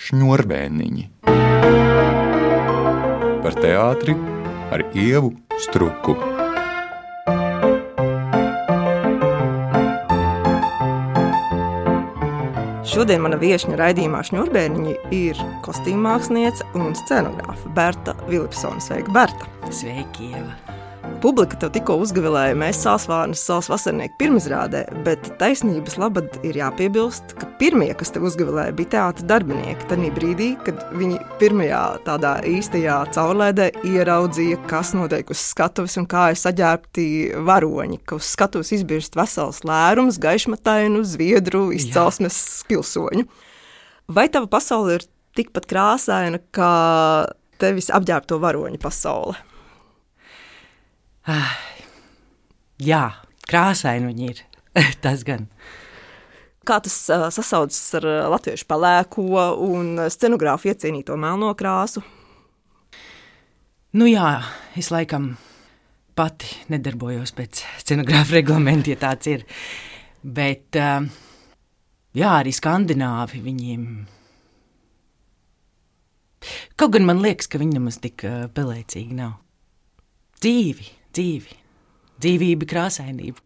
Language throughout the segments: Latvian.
Šņurbēniņi. Par teātri ar Ievu Struku. Šodien mana viešņa raidījumā Šņurbēniņi ir kostīmmāksliniece un scenogrāfa Berta Vilipsone. Sveika, Berta! Sveiki, Ieva! Publika tev tikko uzgavilēja Mēs Sālsvārnas Saules vasarnieku pirmizrādē, bet taisnības labad ir jāpiebilst, ka pirmie, kas tev uzgavilēja, bija teātra darbinieki. Tanī brīdī, kad viņi pirmajā tādā īstajā caurlēdē ieraudzīja, kas notiek uz skatuves un kā ir saģērbti varoņi, ka uz skatuves izbirst vesels lērums, gaišmatainu, zviedru, izcelsmes pilsoņu. Vai tava pasaule ir tikpat krāsaina, kā tevis apģērbto varoņu pasaule? Jā, krāsaini viņi ir, tas gan. Kā tas sasaucas ar latviešu pelēko un scenogrāfu iecienīto melno krāsu? Nu jā, es laikam pati nedarbojos pēc scenogrāfa reglamenta, ja tāds ir. Bet, jā, arī skandināvi viņiem. Kaut gan man liekas, ka viņi nemaz tik pelēcīgi nav. Dzīvība, krāsainība.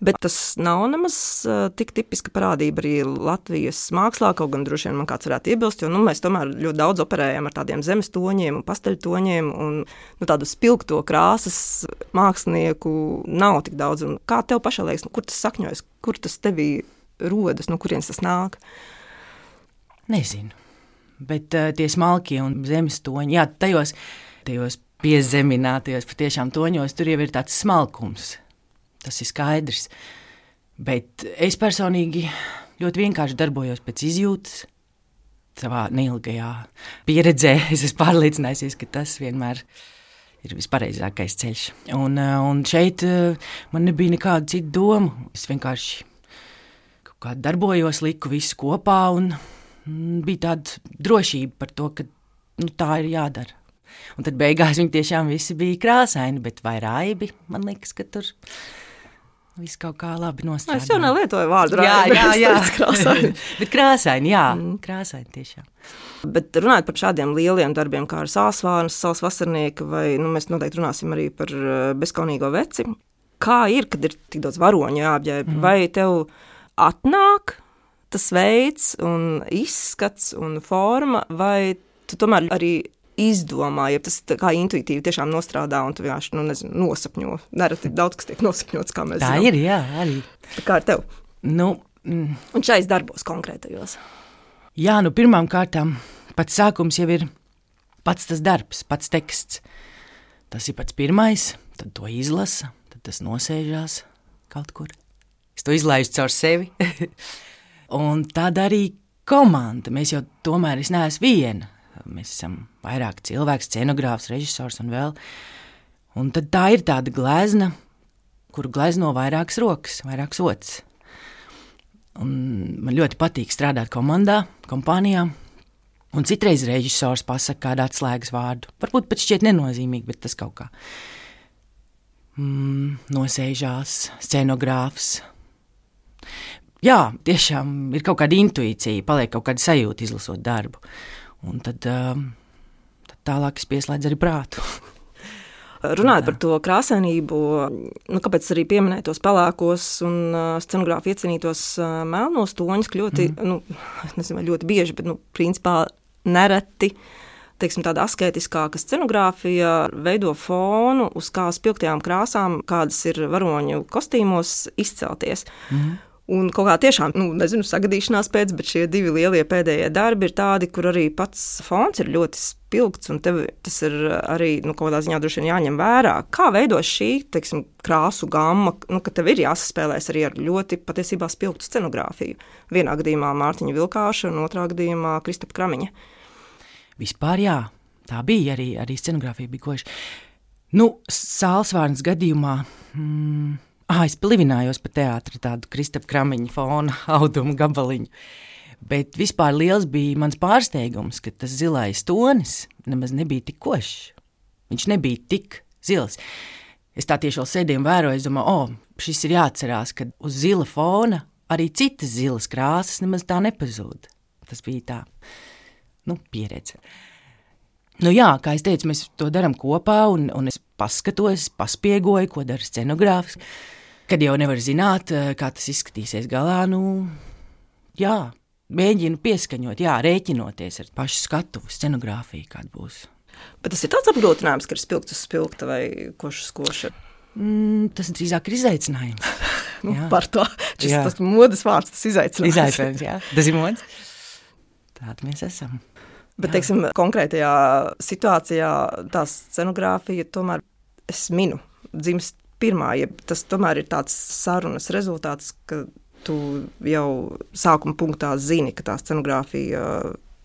Bet tas nav nemaz tik tipiska parādība arī Latvijas mākslā, kaut gan droši vien man kāds varētu iebilst, jo mēs tomēr ļoti daudz operējam ar tādiem zemes toņiem un pasteļtoņiem, un tādu spilgto krāsas mākslinieku nav tik daudz. Un kā tev pašai liekas, kur tas sakņojas, kur tas tevī rodas, no kurienes tas nāk? Nezinu, bet tie smalkie un zemes toņi, jā, tajos piezeminātajos patiešām toņos, tur jau ir tāds smalkums. Tas ir skaidrs. Bet es personīgi ļoti vienkārši darbojos pēc izjūtas. Savā neilgajā pieredzē es esmu pārliecinājusies, ka tas vienmēr ir vispareizākais ceļš. Un šeit man nebija nekāda cita doma. Es vienkārši kaut kā darbojos, liku visu kopā un bija tāda drošība par to, ka tā ir jādara. Un tad beigās viņi tiešām visi bija krāsaini, bet vai raibi, man liekas, ka tur viss kaut kā labi nostrādāja. Es jau nelietoju vārdu raibi. Jā. Bet krāsaini, jā, krāsaini tiešām. Bet runājot par šādiem lieliem darbiem, kā ar Sālsvārnas Saules vasarnieka, vai mēs noteikti runāsim arī par Bezkaunīgo veci. Kā ir, kad ir tik daudz varoņu jāapģērb? Vai tev atnāk tas veids un izskats un forma, vai tu tomēr arī izdomā, ja tas kā intuitīvi tiešām nostrādā un tu vienkārši, nosapņo. Nereti daudz, kas tiek nosapņots, kā mēs zinām. Tā ir, jā, arī. Kā ar tev? Un šais darbos konkrētajos? Jā, pirmām kārtām pats sākums jau ir pats tas darbs, pats teksts. Tas ir pats pirmais, tad to izlasa, tad tas nosēžās kaut kur. Es to izlaižu caur sevi. Un tad arī komanda. Mēs jau tomēr, es neesmu viena. Mēs esam vairāk cilvēki, scenogrāfs, režisors un vēl. Un tad tā ir tāda glezna, kuru glezno vairākas rokas, vairākas ots. Un man ļoti patīk strādāt kompānijā. Un citreiz režisors pasaka kādu atslēgas vārdu. Varbūt pat šķiet nenozīmīgi, bet tas kaut kā nosēžās, scenogrāfs. Jā, tiešām ir kaut kāda intuīcija, paliek kaut kāda sajūta izlasot darbu. Un tad tālāk es pieslēdzu arī prātu. Runājot par to krāsainību, kāpēc arī pieminēja tos pelēkos un scenogrāfu iecienītos melnos toņus, ļoti, ļoti bieži, bet principā nereti, teiksim, tāda asketiskāka scenogrāfija veido fonu, uz kā spilgtajām krāsām, kādas ir varoņu kostīmos, izcelties. Un kaut kā tiešām, sagadīšanās pēc, bet šie divi lielie pēdējie darbi ir tādi, kur arī pats fons ir ļoti spilgts, un tev tas ir arī, kaut kādā ziņā droši vien jāņem vērā. Kā veido šī, teiksim, krāsu gamma, ka tev ir jāsaspēlēs arī ar ļoti patiesībā spilgtu scenogrāfiju? Vienā gadījumā Mārtiņa Vilkāša un otrā gadījumā Kristapa Kramiņa. Vispār jā, tā bija arī scenogrāfija bija koša. Sālsvārnas gadījumā... es plivinājos pa teātri tādu Kristapa Kramiņa fona audumu gabaliņu. Bet vispār liels bija mans pārsteigums, ka tas zilais tonis nemaz nebija tik košs. Viņš nebija tik zils. Es tā tieši vēl sēdēju un vēroju, es domāju, šis ir jāatcerās, ka uz zila fona arī citas zilas krāsas nemaz tā nepazūd. Tas bija tā pieredze. Jā, kā es teicu, mēs to darām kopā, un es paskatos, paspiegoju, ko dara scenogrāfs. Kad jau nevar zināt, kā tas izskatīsies galā, mēģinu pieskaņot, rēķinoties ar pašu skatuvu, scenogrāfiju, kāda būs. Bet tas ir tāds apgrūtinājums, ka ir spilgts uz spilgta vai košs uz koša? Tas drīzāk ir izaicinājums. Par to. Tas modes vārds, tas izaicinājums. Izaicinājums, jā. Tas ir modes. Tādi mēs esam. Bet, teiksim, konkrētajā situācijā tā scenogrāfija tomēr, es minu, dzimst pirmā, ja tas tomēr ir tāds sarunas rezultāts, ka tu jau sākuma punktā zini, ka tā scenogrāfija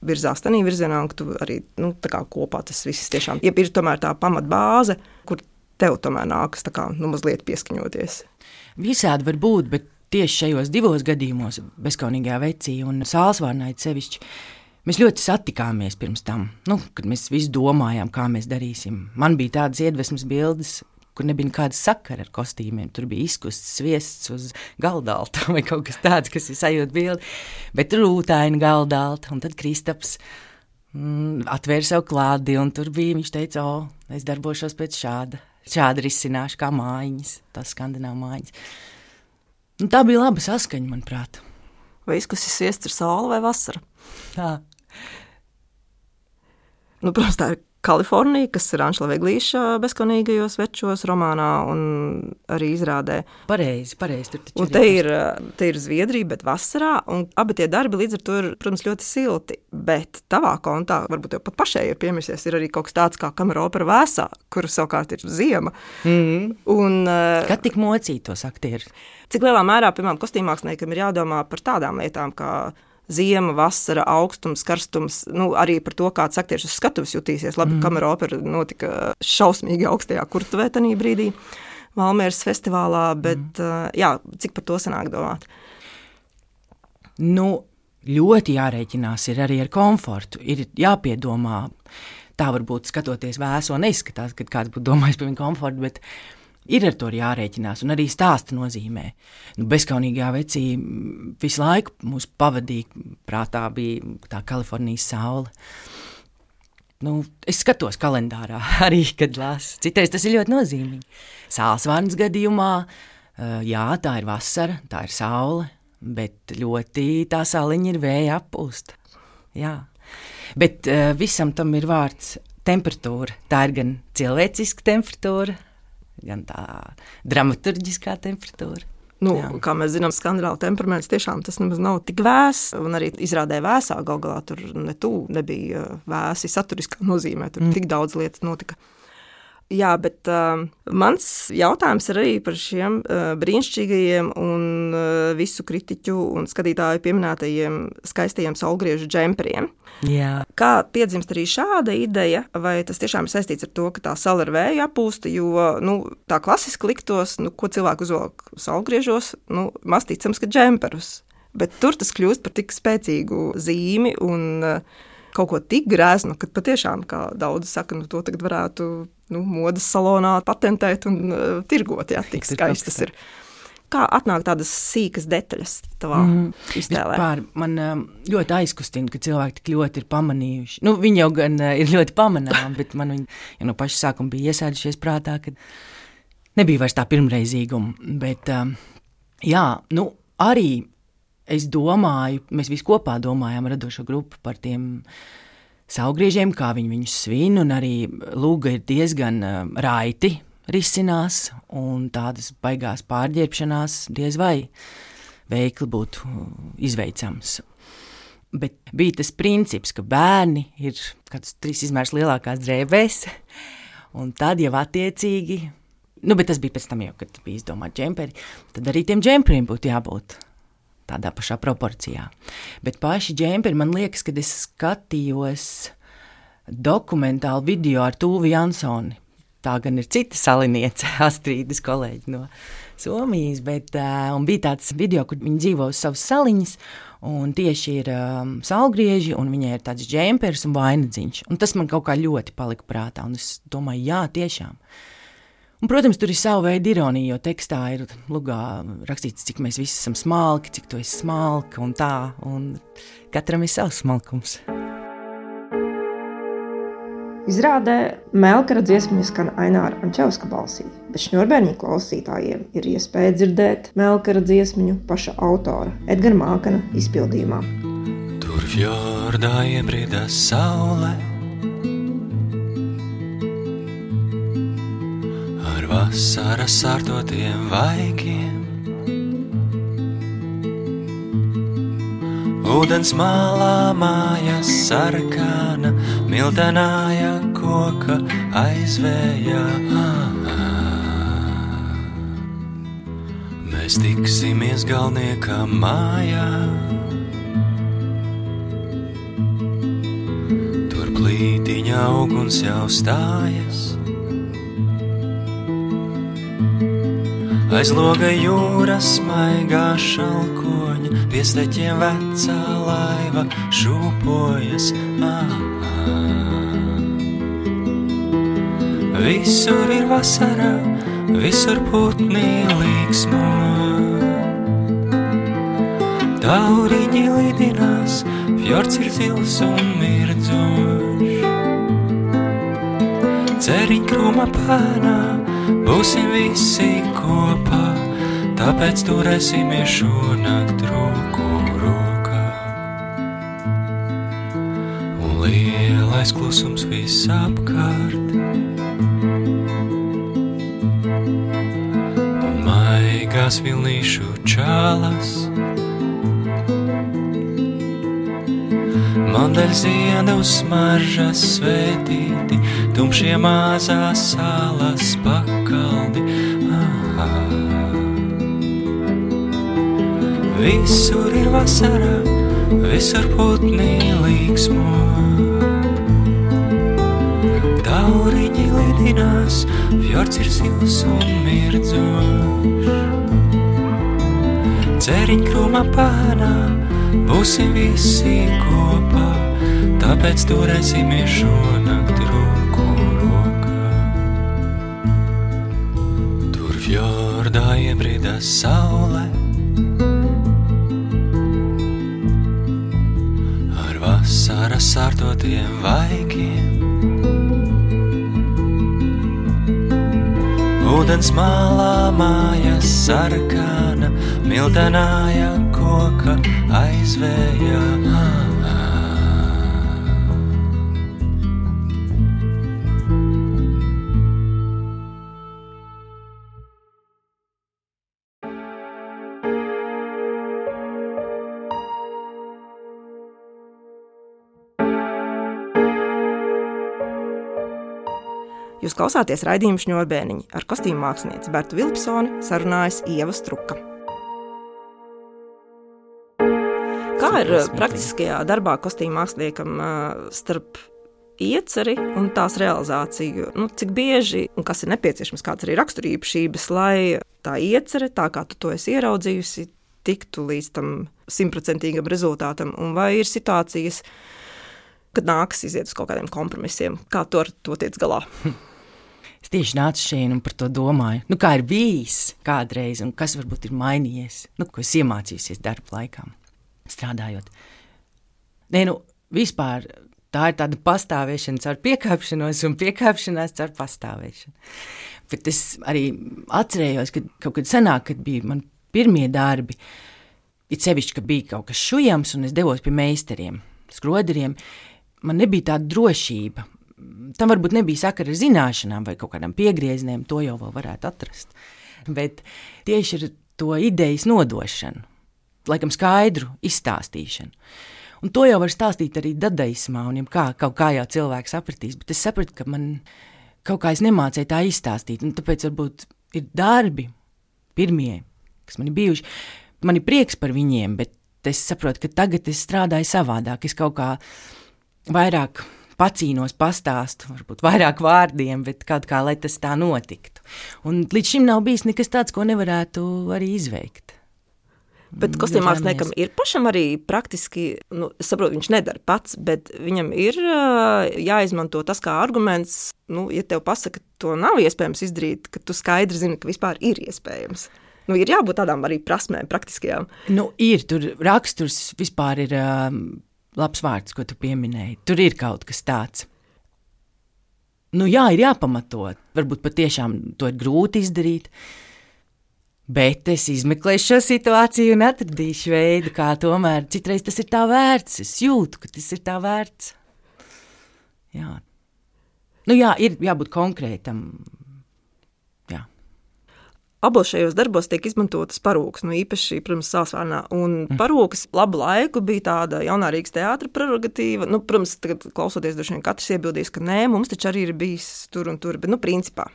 virzās tādā virzienā, un ka tu arī tā kā kopā tas viss tiešām ir tomēr tā pamatbāze, kur tev tomēr nākas tā kā mazliet pieskaņoties. Visādi var būt, bet tieši šajos 2 gadījumos, Bezkaunīgajā vecī un Sālsvārnai sevišķi, mēs ļoti satikāmies pirms tam, kad mēs visi domājām, kā mēs darīsim. Man bija tādas iedvesmas bildes, kur nebija nekāda sakara ar kostīmiem. Tur bija izkusts sviests uz galdalta vai kaut kas tāds, kas ir sajūta bildi. Bet rūtaina galdalta, un tad Kristaps atvēra savu klādi, un tur bija, viņš teica, es darbošos pēc šāda risināšu, kā mājiņas, tās skandināvu mājiņas. Tā bija laba saskaņa, manuprāt. Vai izkusis sviests ir saule vai vasara? Tā. Protams, tā ir Kalifornija, kas ir Anšla Veglīša Bezkaunīgajos večos romānā un arī izrādē. Pareizi, tur taču un te ir Zviedrija, bet vasarā, un abi tie darbi līdz ar to ir, protams, ļoti silti, bet tavā kontā, varbūt jau pat pašai ir piemirsies, ir arī kaut kas tāds kā kamera opera Vēsā, kur savukārt ir ziema. Un, kad tik mocītos aktierus? Cik lielā mērā, piemēram, kostīmmāksliniekam ir jādomā par tādām lietām, kā ziema, vasara, augstums, karstums, arī par to, kāds aktieris uz skatuves jutīsies. Labi, kamera opera notika šausmīgi augstajā kurtuvē tanī brīdī Valmieras festivālā, bet cik par to sanāk domāt? Ļoti jārēķinās ir arī ar komfortu, ir jāpiedomā. Tā varbūt skatoties Vēso neizskatās, kad kāds būtu domājis par viņu komfortu, bet ir ar to jārēķinās, un arī stāsta nozīmē. Bezkaunīgajā vecī visu laiku mūs pavadīja, prātā bija tā Kalifornijas saule. Es skatos kalendārā arī, kad lasu. Citreiz tas ir ļoti nozīmīgi. Sālsvārnas gadījumā, tā ir vasara, tā ir saule, bet ļoti tā sauliņa ir vēja appūsta. Jā. Bet visam tam ir vārds temperatūra. Tā ir gan cilvēciska temperatūra, gan tā dramaturģiskā temperatūra. Kā mēs zinām, skandināvu temperaments tiešām tas nemaz nav tik vēss, un arī izrādē Vēsā galā tur nebija vēsi saturiskā nozīmē, tur tik daudz lietas notika. Jā, bet mans jautājums ir arī par šiem brīnišķīgajiem un visu kritiķu un skatītāju pieminētajiem skaistajiem saulgriežu džemperiem. Jā. Kā piedzimst arī šāda ideja, vai tas tiešām ir saistīts ar to, ka tā saule ar vēju apūsta, jo tā klasiski liktos, ko cilvēku uzvelk saulgriežos, maz ticams, ka džemperus. Bet tur tas kļūst par tik spēcīgu zīmi un kaut ko tik grēznu, ka patiešām, kā daudzi saka, to tagad varētu modes salonā patentēt un tirgot, tik skaistas ir. Kā atnāk tādas sīkas detaļas tavā iztēlē? Man ļoti aizkustina, ka cilvēki tik ļoti ir pamanījuši. Viņi jau gan ir ļoti pamanām, bet man viņi jau no paša sākuma bija iesēdušies prātā, ka nebija vairs tā pirmreizīguma. Bet arī es domāju, mēs visi kopā domājām radošo grupu par tiem saulgriežiem, kā viņi viņus svin, un arī lūga ir diezgan raiti risinās, un tādas baigās pārģērbšanās diez vai veikli būtu izveicams. Bet bija tas princips, ka bērni ir kāds 3 izmērs lielākās drēbēs, un tad jau attiecīgi, bet tas bija pēc tam jau, kad bija izdomāt džemperi, tad arī tiem džemperiem būtu jābūt tādā pašā proporcijā. Bet paši džemperi, man liekas, kad es skatījos dokumentālu video ar Tūvi Jansoni. Tā gan ir cita saliniece, Astrīdas kolēģi no Somijas, bet un bija tāds video, kur viņi dzīvo uz savas saliņas, un tieši ir saulgrieži, un viņai ir tāds džemperis un vainadziņš. Un tas man kaut kā ļoti palika prātā, un es domāju, jā, tiešām. Un, protams, tur ir sava veida ironija, jo tekstā ir lugā rakstīts, cik mēs visi esam smalki, cik tu esi smalka un tā, un katram ir savs smalkums. Izrādē Melkara dziesmiņa skan Aināra Ančevska balsī, bet Šņurbēniņu klausītājiem ir iespēja dzirdēt Melkara dziesmiņu paša autora Edgara Mākana izpildījumā. Tur fjordā iebrida saule, ar vasaras sārtotiem vaigiem. Ūdens malā mājas sarkana, miltenāja koka aizvējā. Mēs tiksimies galnieka mājā. Tur plītiņa uguns jau stājas. Aiz loga jūras maigā šalkoņa, pie steķiem vecā laiva šūpojas. Visur ir vasarā, visur putni līksmo. Tauriņi lidinās, fjords ir zils un mirdzošs. Ceriņkrūma pēnā būsim visi kopā, tāpēc turēsimies šonakt roku rokā. Un lielais klusums viss apkārt, un maigās vilnīšu čālas. Mandaļziedu smaržas svētīti, tumšie mazās salas pakaldi. Visur ir vasarā, visur putni līksmo. Tauriņi lidinās, fjords ir zils un mirdzošs. Ceriņkrūma pēnā būsim visi kopā, tāpēc turēsimies šonakt roku rokā. Tur fjordā iebrida saule, ar vasaras sārtotiem vaigiem. Ūdens malā mājas sarkana, miltenāja koka aizvējā. Jūs klausāties raidījumu Šņurbēniņi, ar kostīmu mākslinieci Bertu Vilpsoni sarunājas Ieva Struka. Kā ir praktiskajā darbā kostīmu māksliniekam starp ieceri un tās realizāciju? Cik bieži un kas ir nepieciešams, kāds arī raksturīpašības, lai tā iecere, tā kā tu to esi ieraudzījusi, tiktu līdz tam 100% rezultātam? Un vai ir situācijas, kad nākas iziet uz kaut kādiem kompromisiem? Kā tu ar to tiec galā? Es tieši nācu šeit un par to domāju. Kā ir bijis kādreiz un kas varbūt ir mainījies? Ko es iemācījusies darba laikā, strādājot. Vispār tā ir tāda pastāvēšana caur piekāpšanos un piekāpšanās caur pastāvēšanu. Bet es arī atcerējos, ka kaut kad senāk, kad bija man pirmie darbi, it sevišķi, ka bija kaut kas šujams un es devos pie meistariem, skroderiem, man nebija tāda drošība. Tam varbūt nebija sakara ar zināšanām vai kaut kādām piegriezieniem, to jau vēl varētu atrast. Bet tieši ar to idejas nodošanu, laikam skaidru izstāstīšanu. Un to jau var stāstīt arī dadaismā, un kaut kā jau cilvēks sapratīs, bet es sapratu, ka man kaut kā es nemācēju tā izstāstīt, un tāpēc varbūt ir darbi pirmie, kas man ir bijuši. Man ir prieks par viņiem, bet es saprotu, ka tagad es strādāju savādāk, es kaut kā vairāk pacīnos, pastāstu, varbūt vairāk vārdiem, bet kaut kā, lai tas tā notiktu. Un līdz šim nav bijis nekas tāds, ko nevarētu arī izveikt. Bet kostīmu māksliniekam ir pašam arī praktiski, es saprotu, viņš nedara pats, bet viņam ir jāizmanto tas kā arguments, ja tev pasaka, to nav iespējams izdarīt, ka tu skaidri zini, ka vispār ir iespējams. Ir jābūt tādām arī prasmēm praktiskajām. Ir, tur raksturs vispār ir labs vārds, ko tu pieminēji. Tur ir kaut kas tāds. Nu jā, ir jāpamatot. Varbūt patiešām to ir grūti izdarīt. Bet es izmeklēšu šo situāciju un atradīšu veidu, kā tomēr citreiz tas ir tā vērts. Es jūtu, ka tas ir tā vērts. Jā. Nu jā, ir jābūt konkrētam. Jā. Abos šajos darbos tiek izmantotas parūkas, īpaši, protams, Sālsvārnā. Un parūkas labu laiku bija tāda jaunā Rīgas teātra prerogatīva. Protams, tagad klausoties, droši vien katrs iebildīs, ka nē, mums taču arī ir bijis tur un tur, bet principā.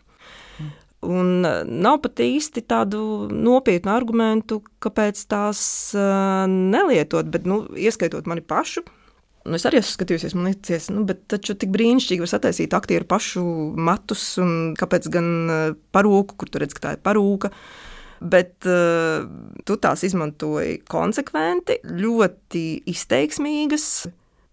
Un nav pat īsti tādu nopietnu argumentu, kāpēc tās nelietot, bet, ieskaitot mani pašu. Es arī esmu skatījusies, man liekas, bet taču tik brīnišķīgi var sataisīt aktieru pašu matus, un kāpēc gan parūku, kur tu redz, ka tā ir parūka. Bet tu tās izmantoji konsekventi, ļoti izteiksmīgas,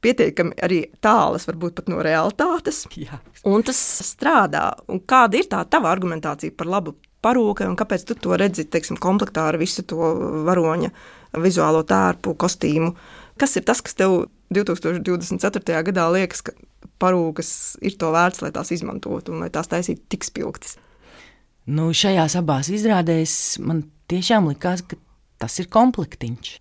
pietiekami arī tālas, varbūt pat no realitātes. Jā. Un tas strādā. Un kāda ir tā tava argumentācija par labu parūkai, un kāpēc tu to redzi, teiksim, komplektā ar visu to varoņa vizuālo tērpu, kostīmu? Kas ir tas, kas tev 2024. gadā liekas, ka parūkas ir to vērts, lai tās izmantotu un lai tās taisītu tik spilgtas? Šajās abās izrādēs man tiešām likās, ka tas ir komplektiņš.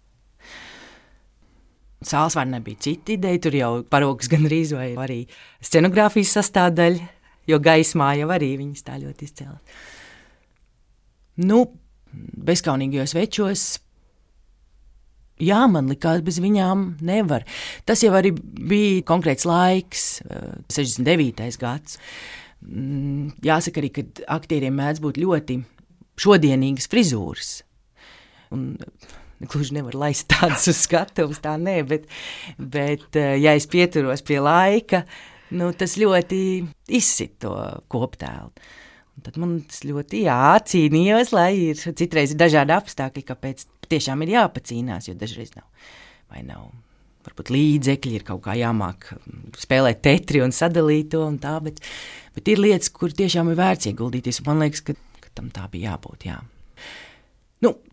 Sālsvārnā bija cita ideja, tur jau parūkas gandrīz vai arī scenogrāfijas sastāvdaļa, jo gaismā jau arī viņas tā ļoti izcēlās. Bezkaunīgajos večos, jā, man likās, bez viņām nevar. Tas jau arī bija konkrēts laiks, 69. gads. Jāsaka arī, ka aktieriem mēdz būt ļoti šodienīgas frizūras. Un gluži nevar laist tādas uz skatuves, tā nē, bet ja es pieturos pie laika, tas ļoti izsit to koptēlu. Un tad man tas ļoti cīnījos, lai ir citreiz ir dažādi apstākļi, kāpēc tiešām ir jāpacīnās, jo dažreiz nav varbūt līdzekļi, ir kaut kā jāmāk spēlēt tetri un sadalīt to un tā, bet ir lietas, kur tiešām ir vērts ieguldīties, un man liekas, ka tam tā bija jābūt, jā.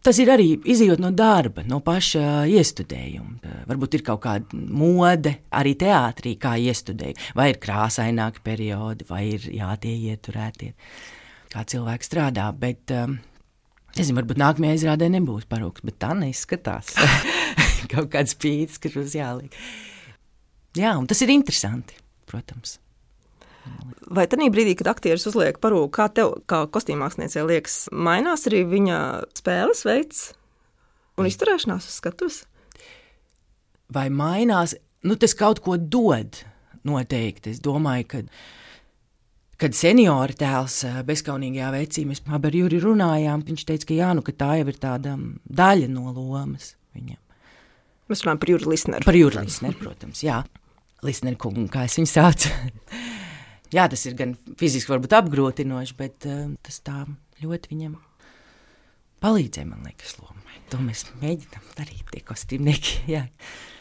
Tas ir arī izejot no darba, no paša iestudējuma. Varbūt ir kaut kāda mode arī teātrī, kā iestudēju. Vai ir krāsaināki periodi, vai ir tie ieturētie, kā cilvēki strādā. Bet, varbūt nākamajā izrādē nebūs parūks, bet tā neizskatās. Kaut kāds pīts, kas mums jāliek. Jā, un tas ir interesanti, protams. Vai tajā brīdī, kad aktieris uzliek parūku, kā tev, kā kostīmmāksliniecei liekas, mainās arī viņa spēles veids un izturēšanās uz skatuves? Vai mainās? Tas kaut ko dod noteikti. Es domāju, kad seniora tēls bezkaunīgajā vecī, mēs abi ar Juri runājām, viņš teica, ka tā jau ir tāda daļa no lomas viņam. Mēs runājam par Juri Lisneru. Par Juri Lisneru, protams, jā. Lisneru kungu, kā es viņu saucu. Jā, tas ir gan fiziski varbūt apgrūtinoši, bet tas tā ļoti viņam palīdzēja, man liekas, lomai. To mēs mēģinām darīt, tie kostīmnieki, jā.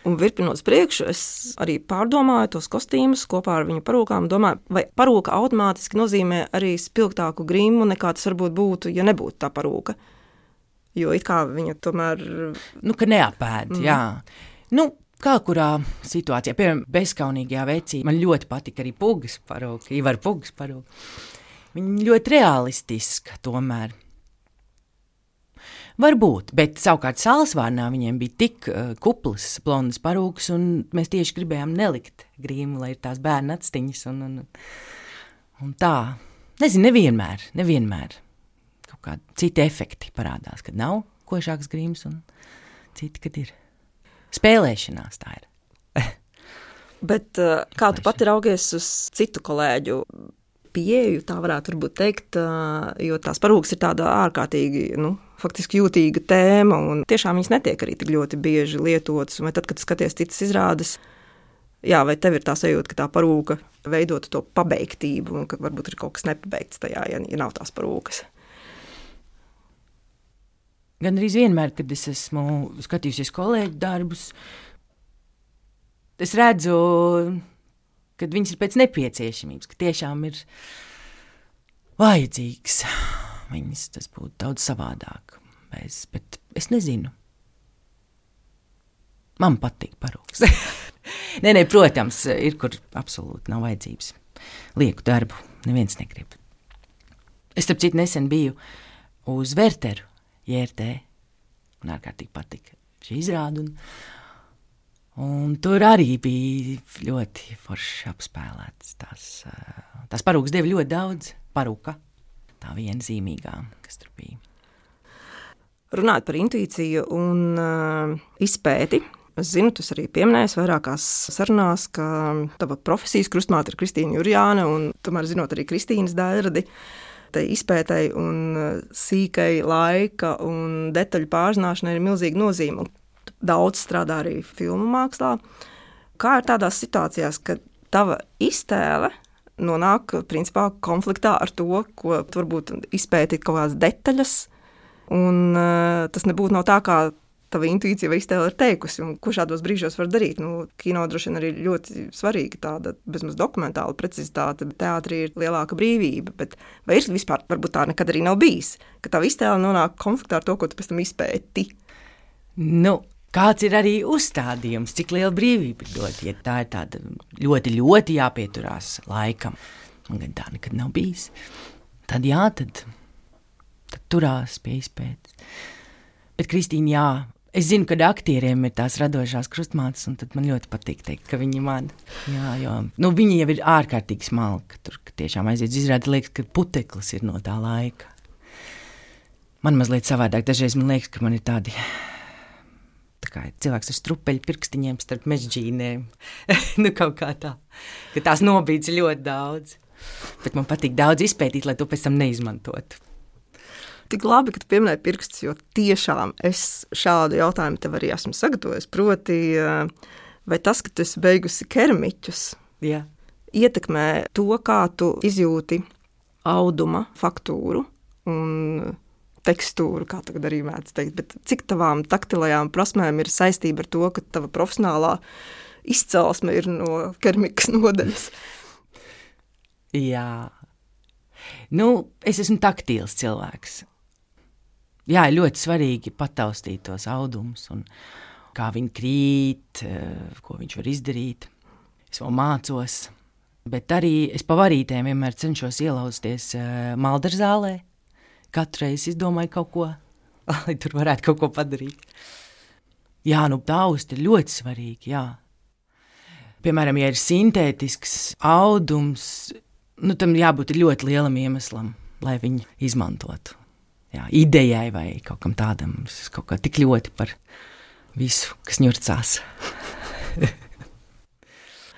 Un virpinot priekšu, es arī pārdomāju tos kostīmus kopā ar viņu parūkām, domāju, vai parūka automātiski nozīmē arī spilgtāku grimu, nekā tas varbūt būtu, ja nebūtu tā parūka. Jo it kā viņa tomēr... ka neapēd, jā. Kā kurā situācijā, piemēram, bezkaunīgajā vecī, man ļoti patika arī Pugas parūka, Ivar Pugas parūka. Viņa ļoti realistiska tomēr. Varbūt, bet savukārt Sālsvārnā viņiem bija tik kuplas, blondas parūkas, un mēs tieši gribējām nelikt grīmu, lai ir tās bērna atstiņas un tā. Nezinu, nevienmēr. Kaut kādi citi efekti parādās, kad nav košāks grīms un citi, kad ir. Spēlēšanās tā ir. Bet kā tu pati raugies uz citu kolēģu pieeju, tā varētu varbūt teikt, jo tās parūkas ir tāda ārkārtīgi, faktiski jūtīga tēma, un tiešām viņas netiek arī tik ļoti bieži lietotas, vai tad, kad skaties citas izrādes, vai tev ir tā sajūta, ka tā parūka veidot to pabeigtību, un ka varbūt ir kaut kas nepabeigts tajā, ja nav tās parūkas. Gan arī vienmēr, kad es esmu skatījusies kolēģu darbus, es redzu, ka viņas ir pēc nepieciešamības, ka tiešām ir vajadzīgs viņas, tas būtu daudz savādāk. Bet es nezinu. Man patīk parūks. Nē, protams, ir, kur absolūti nav vajadzības. lieku darbu. Neviens negrib. Es, starp citu, nesen biju uz Vērteru, JRT. Man ārkārtīgi patika šī izrāda. Un tur arī bija ļoti forši apspēlēts. Tās parūkas deva ļoti daudz. Parūka, tā viena zīmīgā, kas tur bija. Runājot par intuīciju un izpēti, es zinu, tu arī pieminējies vairākās sarunās, ka tava profesijas krustmāte ir Kristīna Jurjāna, un tomēr zinot arī Kristīnas daļradi, tai izpētei un sīkai laika un detaļu pārzināšanai ir milzīga nozīme. Daudz strādā arī filmu mākslā. Kā ir tādās situācijās, kad tava iztēle nonāk principā konfliktā ar to, ko tu varbūt izpētīt kaut kādas detaļas, un tas nebūtu no tā, kā tava intuīcija vai iztēle ir teikusi, un ko šādos brīžos var darīt. Kino droši vien arī ļoti svarīga tāda bezmaz dokumentāla precizitāte, teātrī ir lielāka brīvība, bet vai ir vispār, varbūt tā nekad arī nav bijis, ka tava iztēle nonāk konfliktā ar to, ko tu pēc tam izpēti? Kāds ir arī uzstādījums, cik liela brīvība dot, ja tā ir tāda ļoti, ļoti jāpieturās laikam. Man gan tā nekad nav bijis. Tad jā, tad turās pie izpētes. Bet, Kristīna, jā, es zinu, ka aktieriem ir tās radošās krustmātes, un tad man ļoti patīk teikt, ka viņi man, jo viņi jau ir ārkārtīgi smalki, tur, ka tiešām aiziet izrādi, liekas, ka puteklis ir no tā laika. Man mazliet savādāk, dažreiz man liekas, ka man ir tādi, tā kā cilvēks ar strupeļu pirkstiņiem starp mežģīnēm, kaut kā tā, ka tās nobīdz ļoti daudz, bet man patīk daudz izpētīt, lai to pēc tam neizmantotu. Tik labi, ka tu pieminēji pirkstus, jo tiešām es šādu jautājumu tev arī esmu sagatavojis. Proti, vai tas, ka tu esi beigusi keramiķus, ietekmē to, kā tu izjūti auduma faktūru un tekstūru, kā tagad arī mēdz teikt, bet cik tavām taktilajām prasmēm ir saistība ar to, ka tava profesionālā izcelsme ir no keramikas nodaļas? Jā. Es esmu taktīls cilvēks. Jā, ir ļoti svarīgi pataustīt tos audumus un kā viņi krīt, ko viņš var izdarīt. Es vēl mācos, bet arī es pa varītēm vienmēr cenšos ielausties maldarzālē. Katru reizi izdomāju kaut ko, lai tur varētu kaut ko padarīt. Jā, taust ir ļoti svarīgi, jā. Piemēram, ja ir sintētisks audums, tam jābūt ļoti lielam iemeslam, lai viņu izmantotu. Jā, idejai vai kaut kam tādam, kaut kā tik ļoti par visu, kas ņurcās.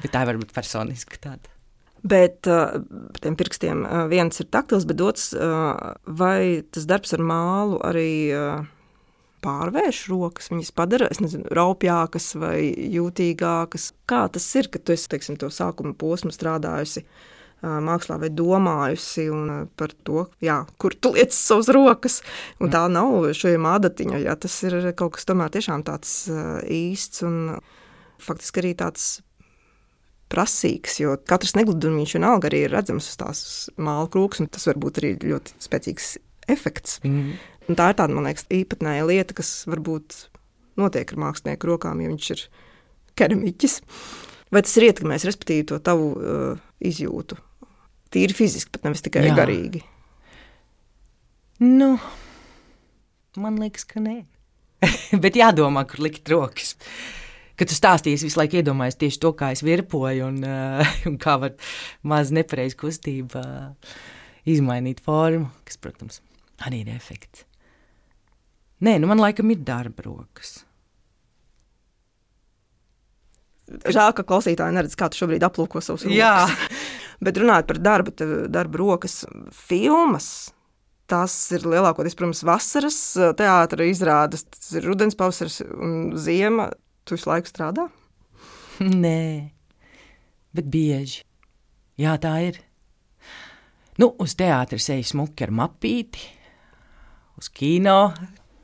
Bet tā var būt personiski tāda. Bet tiem pirkstiem viens ir taktils, bet otrs, vai tas darbs ar mālu arī pārvērš rokas, viņas padara, raupjākas vai jūtīgākas? Kā tas ir, ka tu esi, teiksim, to sākuma posmu strādājusi mākslā vai domājusi un par to, kur tu liec savas rokas, un tā nav šajiem ādatiņa, tas ir kaut kas tomēr tiešām tāds īsts un faktiski arī tāds prasīgs, jo katrs negludumiņš vienalga arī ir redzams uz tās māla krūks, un tas var būt arī ļoti spēcīgs efekts. Un tā ir tāda, man liekas, īpatnēja lieta, kas varbūt notiek ar mākslinieku rokām, ja viņš ir keramiķis. Vai tas ir ietekmējis, respektīvi, to tavu izjūtu? Tīri fiziski, pat nevis tikai garīgi. Man liekas, ka nē. Bet jādomā, kur likt rokas. Kad tu stāstīsi, visu laiku iedomājies tieši to, kā es virpoju un kā var maz nepareiz kustība izmainīt formu, kas, protams, arī ir efekts. Nē, man laikam ir darba rokas. Žēl, ka klausītāji neredz, kā tu šobrīd aplūko savus rokas. Jā. Bet runājot par darba rokas filmas, tās ir lielākoties, protams, vasaras teātra izrādes, tas ir rudens, pavasaris un ziema. Tu visu laiku strādā? Nē, bet bieži. Jā, tā ir. Uz teātra eju smuki ar mapīti, uz kino,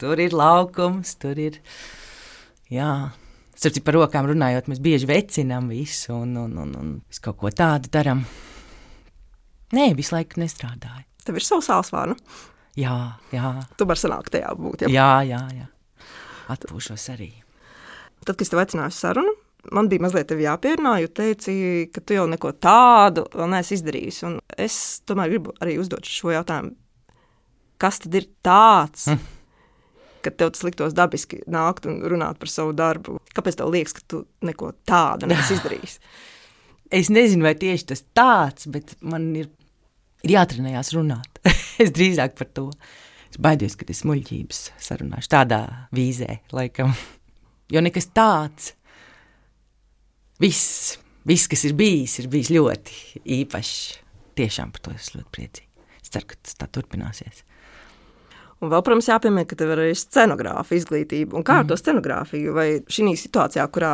tur ir laukums, tur ir, Starp par rokām runājot, mēs bieži vecinām visu un visu kaut ko tādu daram. Nē, visu laiku nestrādāju. Tev ir savu sālsvārnu? Jā. Tu vari sanākt tajā būt, Jā. Atpūšos arī. Tad, kad es tev aicināju sarunu man bija mazliet tevi jāpierunā, jo teici, ka tu jau neko tādu vēl neesi izdarījis. Un es tomēr gribu arī uzdot šo jautājumu. Kas tad ir tāds, kad tev tas liktos dabiski nākt un runāt par savu darbu? Kāpēc tev liekas, ka tu neko tādu neesi izdarījis? Es nezinu, vai tieši tas tāds, bet man ir jātrenējās runāt. Es drīzāk par to. Es baidos, ka es muļķības sarunāšu tādā vīzē, laikam. Jo nekas tāds, viss, kas ir bijis ļoti īpašs. Tiešām par to es ļoti priecīgi. Es ceru, ka tas tā turpināsies. Un vēl, protams, jāpiemēr, ka tev ir arī scenogrāfa izglītība. Un kā ar to scenogrāfiju? Vai šī situācijā, kurā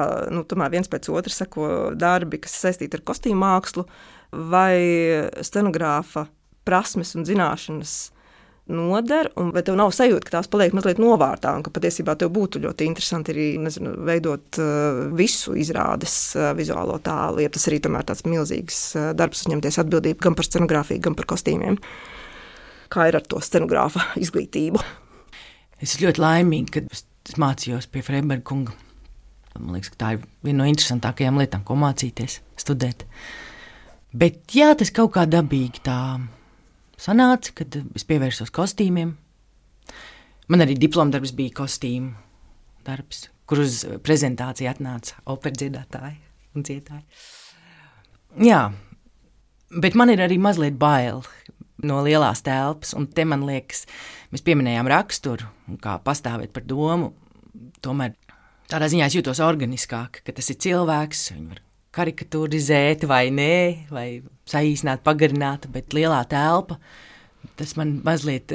tomēr viens pēc otra seko darbi, kas saistīti ar kostīmu mākslu, vai scenogrāfa prasmes un zināšanas noder, un vai tev nav sajūta, ka tās paliek mazliet novārtā, un ka patiesībā tev būtu ļoti interesanti arī, veidot visu izrādes vizuālo tēlu, ja tas arī tomēr tāds milzīgs darbs uzņemties atbildību gan par scenogrāfiju, gan par kostīmiem. Kā ir ar to scenogrāfa izglītību? Es esmu ļoti laimīga, kad es mācījos pie Freiberga kunga. Man liekas, ka tā ir viena no interesantākajām lietām, ko mācīties, studēt. Bet jā, tas kaut kā dabīgi tā sanāca, kad es pievērsos kostīmiem. Man arī diplomdarbs bija kostīmu darbs, kur uz prezentāciju atnāca operdziedātāji un dziedāji. Jā, bet man ir arī mazliet bail no lielās telpas, un te man liekas, mēs pieminējām raksturu, un kā pastāvēt par domu, tomēr tādā ziņā es jūtos organiskāk, ka tas ir cilvēks, viņi var karikaturizēt vai nē, vai saīsināt, pagarināt, bet lielā telpa, tas man mazliet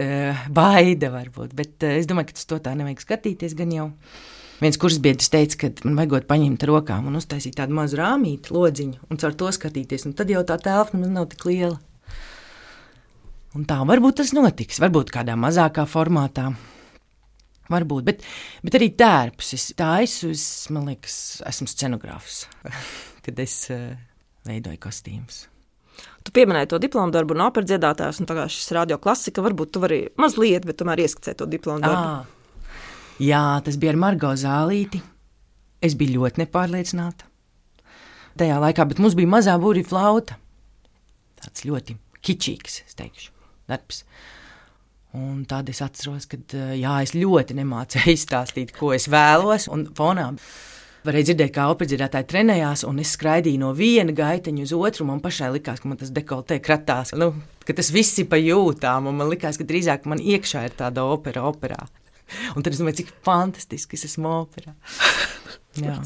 baida varbūt, bet es domāju, ka tas to tā nevajag skatīties gan jau. Viens kursbiedrs teica, ka man vajagot paņemt rokām un uztaisīt tādu mazu rāmīti, lodziņu, un caur to skatīties, un tad jau tā telpa nemaz nav tik liela. Un tā varbūt tas notiks, varbūt kādā mazākā formātā. Varbūt, bet arī tērpus. Man liekas, esmu scenogrāfs, kad es veidoju kostīmus. Tu pieminēji to diplomu darbu un operdziedātājs, un tagad šis radio klasika, varbūt tu vari mazliet, bet tomēr ieskicēt to diplomu darbu. Jā, tas bija ar Margo Zālīti. Es biju ļoti nepārliecināta tajā laikā, bet mums bija mazā būrī flauta. Tāds ļoti kičīgs, es teikšu, darbs. Un tad es atceros, ka es ļoti nemācēju izstāstīt, ko es vēlos, un fonā varēja dzirdēt, kā operdziedātāji trenējās, un es skraidīju no viena gaiteņa uz otru, un man pašai likās, ka man tas dekoltē kratās, ka tas viss ir pa jūtām, un man likās, ka drīzāk man iekšā ir tāda operā. Un tad es domāju, cik fantastiski es esmu operā. Jā.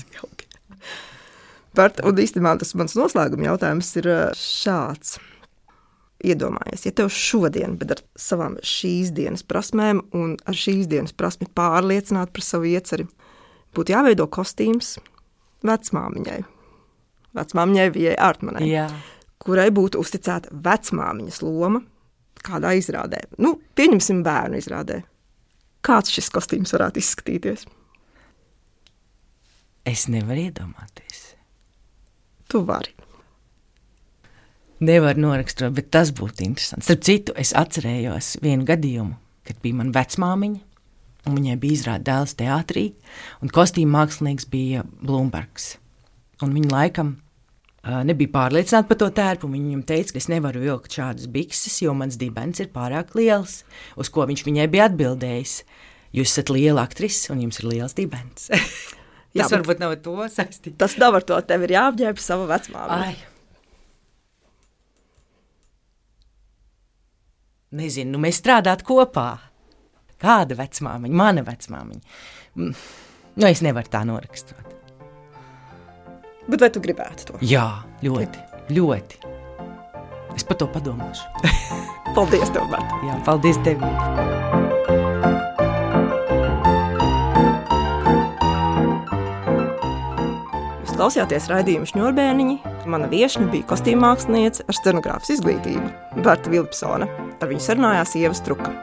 Bart, un īstenībā tas mans noslēguma jautājums ir šāds. Iedomājies, ja tev šodien, bet ar savām šīs dienas prasmēm un ar šīs dienas prasmi pārliecināt par savu ieceri, būtu jāveido kostīms vecmāmiņai. Vecmāmiņai Vijai Ārtmanai, kurai būtu uzticēta vecmāmiņas loma kādā izrādē. Pieņemsim bērnu izrādē. Kāds šis kostīms varētu izskatīties? Es nevaru iedomāties. Tu vari. Nevar noraksturot, bet tas būtu interesanti. Starp citu, es atcerējos vienu gadījumu, kad bija mana vecmāmiņa, un viņai bija izrāde Dēls teātrī, un kostīma mākslinieks bija Blūmbergs. Un viņa laikam nebija pārliecināta par to tērpu, un viņam teica, ka es nevaru vilkt šādas bikses, jo mans dibens ir pārāk liels, uz ko viņš viņai bija atbildējis. Jūs esat liela aktrise, un jums ir liels dibens. Tas varbūt nav ar to saistīts. Tas nav ar to, tev ir jāapģērb sava vecmāmiņa. Nezinu, mēs strādāt kopā. Kāda vecmāmiņa? Mana vecmāmiņa. Es nevaru tā noraksturot. Bet vai tu gribētu to? Jā, ļoti. Es par to padomāšu. Paldies tev, Bart. Jā, paldies tev. Jūs klausījāties raidījumu Šņurbēniņi. Mana viešņa bija kostīmmāksliniece ar scenogrāfas izglītību Berta Vilpsone. Ar viņu sarunājās Ieva Struka.